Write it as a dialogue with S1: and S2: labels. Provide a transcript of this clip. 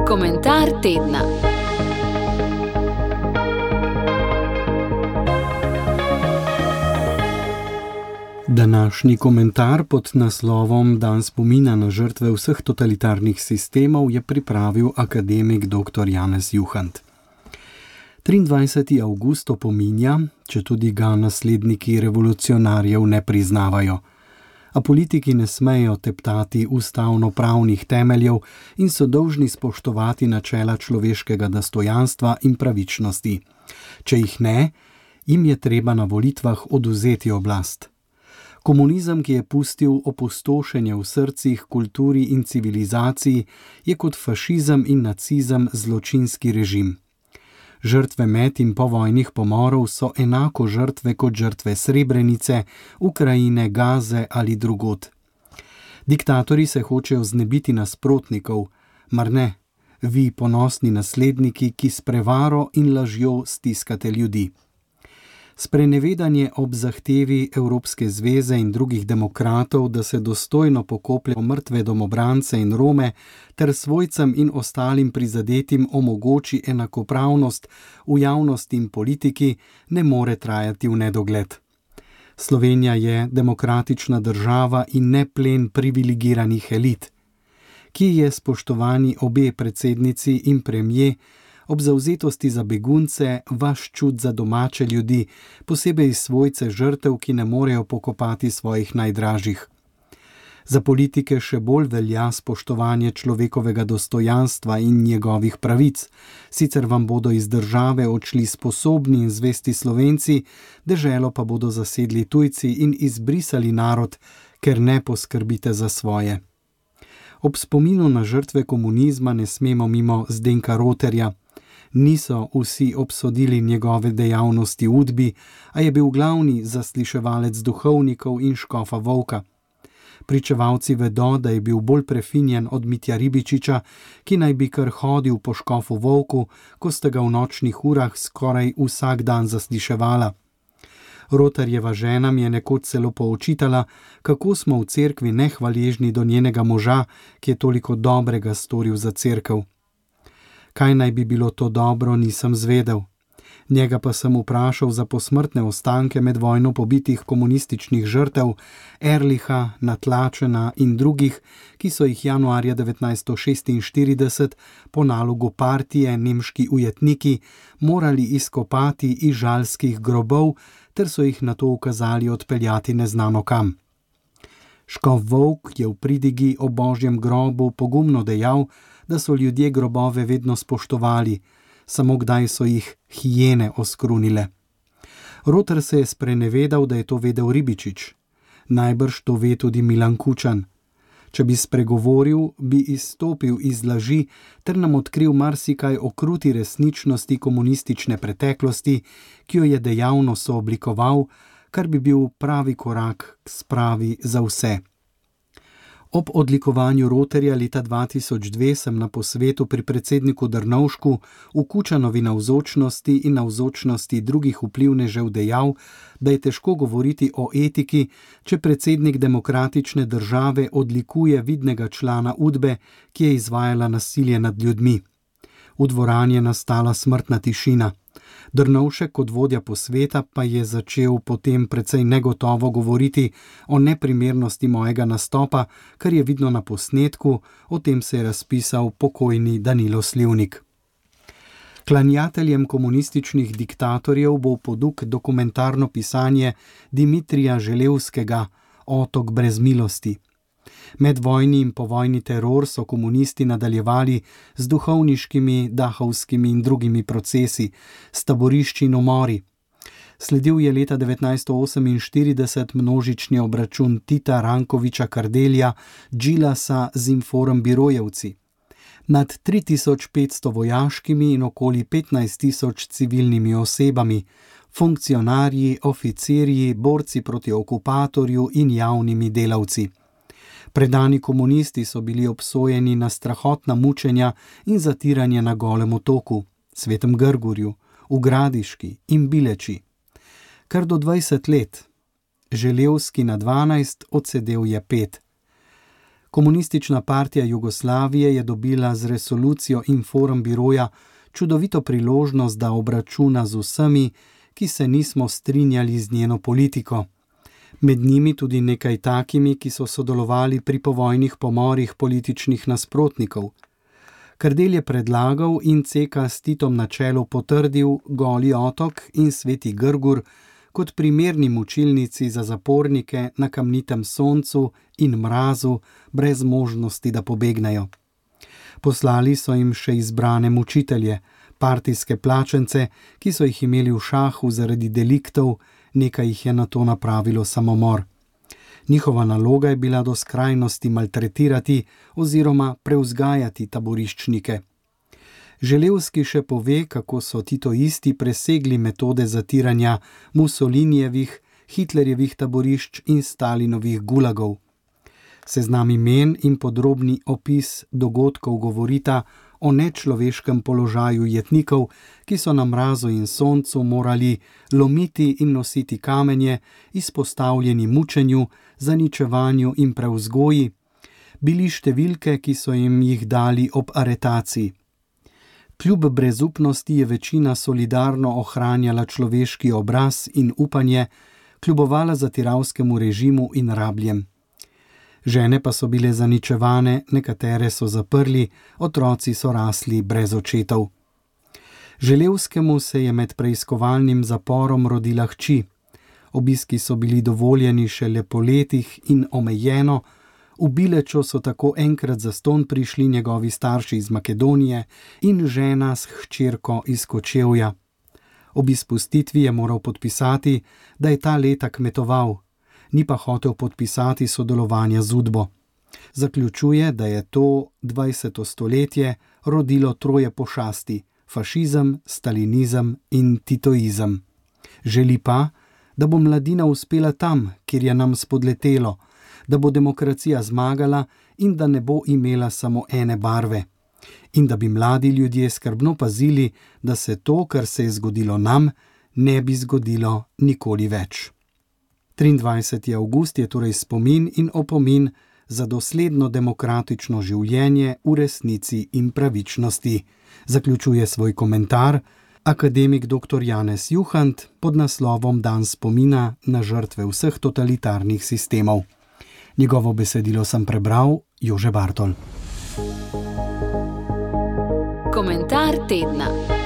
S1: Komentar tedna.
S2: Današnji komentar pod naslovom Dan spomina na žrtve vseh totalitarnih sistemov je pripravil akademik dr. Janez Juhant. 23. avgust opominja, četudi ga nasledniki revolucionarjev ne priznavajo. A politiki ne smejo teptati ustavno-pravnih temeljev in so dolžni spoštovati načela človeškega dostojanstva in pravičnosti. Če jih ne, jim je treba na volitvah odvzeti oblast. Komunizem, ki je pustil opustošenje v srcih, kulturi in civilizaciji, je kot fašizem in nacizem zločinski režim. Žrtve med in povojnih pomorov so enako žrtve kot žrtve Srebrenice, Ukrajine, Gaze ali drugod. Diktatorji se hočejo znebiti nasprotnikov, mar ne, vi ponosni nasledniki, ki s prevaro in lažjo stiskate ljudi. Sprenevedanje ob zahtevi Evropske zveze in drugih demokratov, da se dostojno pokoplje mrtve domobrance in Rome, ter svojcem in ostalim prizadetim omogoči enakopravnost v javnosti in politiki, ne more trajati v nedogled. Slovenija je demokratična država in ne plen privilegiranih elit. Ki je, spoštovani obe predsednici in premier, ob zavzetosti za begunce, vaš čut za domače ljudi, posebej svojce žrtev, ki ne morejo pokopati svojih najdražjih. Za politike še bolj velja spoštovanje človekovega dostojanstva in njegovih pravic, sicer vam bodo iz države odšli sposobni in zvesti Slovenci, deželo pa bodo zasedli tujci in izbrisali narod, ker ne poskrbite za svoje. Ob spominu na žrtve komunizma ne smemo mimo Zdenka Roterja. Niso vsi obsodili njegove dejavnosti v Udbi, a je bil glavni zasliševalec duhovnikov in škofa Volka. Pričevalci vedo, da je bil bolj prefinjen od Mitja Ribičiča, ki naj bi kar hodil po škofu Volku, ko sta ga v nočnih urah skoraj vsak dan zasliševala. Roterjeva žena mi je nekoč celo poočitala, kako smo v cerkvi nehvaležni do njenega moža, ki je toliko dobrega storil za cerkev. Kaj naj bi bilo to dobro, nisem zvedel. Njega pa sem vprašal za posmrtne ostanke med vojno pobitih komunističnih žrtev Erlicha, Natlačena in drugih, ki so jih januarja 1946 po nalogu partije nemški ujetniki morali izkopati iz žalskih grobov, ter so jih nato ukazali odpeljati neznano kam. Škof Volk je v pridigi o Božjem grobu pogumno dejal, da so ljudje grobove vedno spoštovali, samo kdaj so jih hijene oskrunile. Roter se je sprenevedal, da je to vedel Ribičič. Najbrž to ve tudi Milan Kučan. Če bi spregovoril, bi izstopil iz laži ter nam odkril marsikaj o kruti resničnosti komunistične preteklosti, ki jo je dejavno sooblikoval, kar bi bil pravi korak k spravi za vse. Ob odlikovanju Roterja leta 2002 sem na posvetu pri predsedniku Drnovšku v Kučanovi navzočnosti in navzočnosti drugih vplivnežev dejal, da je težko govoriti o etiki, če predsednik demokratične države odlikuje vidnega člana Udbe, ki je izvajala nasilje nad ljudmi. V dvorani je nastala smrtna tišina. Drnovšek kot vodja posveta pa je začel potem precej negotovo govoriti o neprimernosti mojega nastopa, kar je vidno na posnetku, o tem se je razpisal pokojni Danilo Slivnik. Klanjateljem komunističnih diktatorjev bo v poduk dokumentarno pisanje Dimitrija Želevskega Otok brez milosti. Medvojni in povojni teror so komunisti nadaljevali z duhovniškimi, dahovskimi in drugimi procesi, s taborišči in umori. Sledil je leta 1948 množični obračun Tita, Rankoviča, Kardelja, Džilasa z Inform Birojevci. Nad 3500 vojaškimi in okoli 15.000 civilnimi osebami, funkcionarji, oficirji, borci proti okupatorju in javnimi delavci. Predani komunisti so bili obsojeni na strahotna mučenja in zatiranje na Golem otoku, Svetem Grgurju, v Gradiški in Bileči. Kar do 20 let. Želevski na 12, odsedel je 5. Komunistična partija Jugoslavije je dobila z resolucijo Informbiroja čudovito priložnost, da obračuna z vsemi, ki se nismo strinjali z njeno politiko. Med njimi tudi nekaj takimi, ki so sodelovali pri povojnih pomorih političnih nasprotnikov. Kardelj je predlagal in CK s Titom na čelu potrdil Goli otok in Sveti Grgur kot primerni mučilnici za zapornike na kamnitem soncu in mrazu, brez možnosti, da pobegnejo. Poslali so jim še izbrane mučitelje, partijske plačence, ki so jih imeli v šahu zaradi deliktov, nekaj jih je nato napravilo samomor. Njihova naloga je bila do skrajnosti maltretirati oziroma prevzgajati taboriščnike. Želevski še pove, kako so titoisti presegli metode zatiranja Mussolinijevih, Hitlerjevih taborišč in Stalinovih gulagov. Seznam imen in podrobni opis dogodkov govorita o nečloveškem položaju jetnikov, ki so na mrazu in soncu morali lomiti in nositi kamenje, izpostavljeni mučenju, zaničevanju in prevzgoji, bili številke, ki so jim jih dali ob aretaciji. Kljub brezupnosti je večina solidarno ohranjala človeški obraz in upanje, kljubovala zatiralskemu režimu in rabljem. Žene pa so bile zaničevane, nekatere so zaprli, otroci so rasli brez očetov. Želevskemu se je med preiskovalnim zaporom rodila hči. Obiski so bili dovoljeni šele po letih in omejeno, v Bilečo so tako enkrat zastonj prišli njegovi starši iz Makedonije in žena s hčerko iz Kočevja. Ob izpustitvi je moral podpisati, da je ta leta kmetoval, ni pa hotel podpisati sodelovanja z Udbo. Zaključuje, da je to 20. stoletje rodilo troje pošasti: fašizem, stalinizem in titoizem. Želi pa, da bo mladina uspela tam, kjer je nam spodletelo, da bo demokracija zmagala in da ne bo imela samo ene barve. In da bi mladi ljudje skrbno pazili, da se to, kar se je zgodilo nam, ne bi zgodilo nikoli več. 23. avgust je torej spomin in opomin za dosledno demokratično življenje v resnici in pravičnosti. Zaključuje svoj komentar akademik dr. Janez Juhant pod naslovom Dan spomina na žrtve vseh totalitarnih sistemov. Njegovo besedilo sem prebral Jože Bartol.
S1: Komentar tedna.